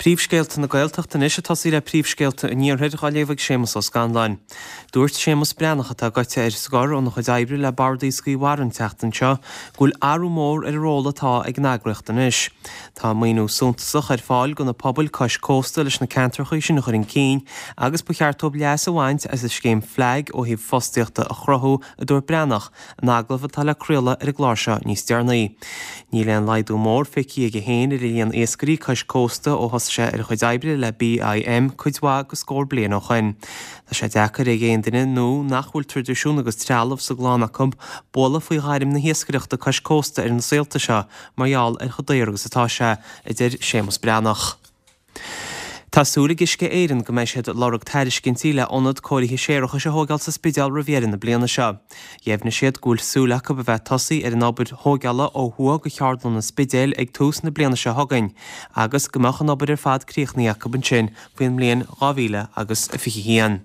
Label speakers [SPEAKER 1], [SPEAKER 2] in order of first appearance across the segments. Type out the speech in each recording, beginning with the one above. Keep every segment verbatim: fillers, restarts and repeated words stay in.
[SPEAKER 1] Príomhscéalta na Gaeltachta anois ag tosaí le príomhscéalta an Iarthair á léamh ag Séamus Ó Scanláin. Dúirt Séamus Breathnach atá gaite ar scor óna chuid oibre le Bord Iascaigh Mhara an tseachtain seo go bhfuil athrú mór ar an ról atá ag an eagraíocht anois. Tá maoiniú suntasach ar fáil do na pobail cois cósta leis na ceantracha sin a chur chun cinn agus ba cheart dóibh leas a bhaint as an scéim FLAG ó thaobh fostaíochta a chruthú, a dúirt Breathnach in agallamh atá le craoladh ar an gclár seo níos deireanaí. Níl aon laghdú mór feicthe aige féin ar an líon iascairí cois cósta ó thosaigh sé ar a chuid oibre le BIM cuid mhaith de scór bliain ó shoin. Tá sé deacair ag aon duine nó nach bhfuil traidisiún agus trealamh sa gclann acu bualadh faoi ghairm na hiascaireachta cois cósta ar na saolta seo mar gheall ar chomh daor agus atá sé, a deir Séamus Breathnach. Tá súil ag Uisce Éireann go mbeidh siad ag lorg tairiscintí le ionad cóirithe séarachais a thógáil sa Spidéal roimh dheireadh na bliana seo. Dheimhnigh siad go bhfuil súil acu a bheith tosaí ar an obair thógála ó thuaidh de cheardlann an Spidéil ag tús na bliana seo chugainn agus go mbeadh an obair ar fad críochnaithe acu ansin faoin mbliain dhá mhíle agus a fiche haon.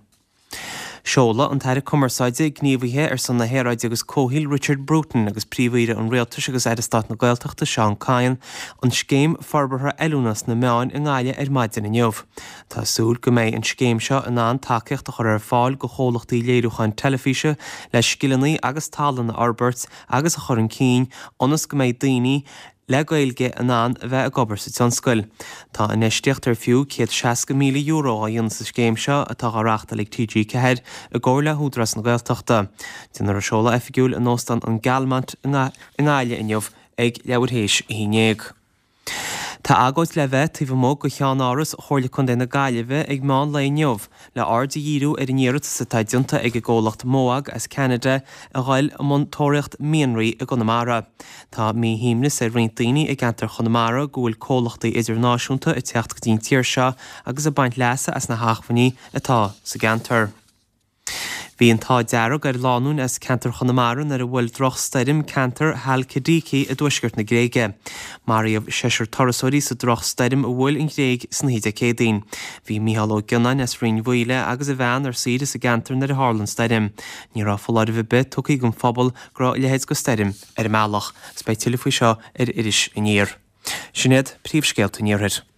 [SPEAKER 1] Seoladh an tAire Cumarsáide, Gníomhaithe ar son na hAeráide agus Comhshaoil Richard Bruton agus Príomh-Aoire an Rialtais agus Aire Stáit na Gaeltachta Seán Kyne an Scéim Forbartha Oiliúna sna Meáin i nGaillimh ar maidin inniu. Tá súil go mbeidh an scéim seo in ann tacaíocht a chur ar fáil do chomhlachtaí léiriúcháin teilifíse le scileanna agus tallann a fhorbairt agus a chur chun cinn ionas go mbeidh daoine le Gaeilge in ann a bheith ag obair sa tionscal. Tá infheistíocht ar fiú céad seasca míle euro á dhéanamh sa scéim seo atá á reáchtáil ag T G ceathair i gcomhar le hÚdarás na Gaeltachta. Déanfar an seoladh oifigiúil in Óstán an Galmont i nGaillimh inniu ag leathuair théis a haon déag. Tá agóid le bheith taobh amuigh de cheannáras Chomhairle Contae na Gaillimhe ag meán lae inniu le aird a dhíriú ar an iarratas atá déanta ag an gcomhlacht Mowag as Ceanada a ghoil i mbun tóraíocht mianraí i gConamara. Tá míshuaimhneas ar roinnt daoine i gceantar Chonamara go bhfuil comhlachtaí idirnáisiúnta ag teacht go dtí an tír seo agus ag baint leasa as na hacmhainní atá sa gceantar. Bhí an t-ádh dearg ar lánúin as ceantar Chonamara nuair a bhuail drochstoirm ceantar Halkidiki i dtuaisceart na Gréige. Maraíodh seisear turasóirí sa drochstoirm a bhuail an Ghréig san oíche Dé Céadaoin. Bhí Mícheál Ó Gionnáin as Rinn Mhaoile agus a bhean ar saoire sa gceantar nuair a tharla an stoirm. Ní raibh foláireamh ar bith tugtha don phobal go raibh a leithéid de stoirm ar an mbealach. Is beidh tuilleadh faoi seo ar Iris Aniar. Sin iad príomhscéalta an Iarthair.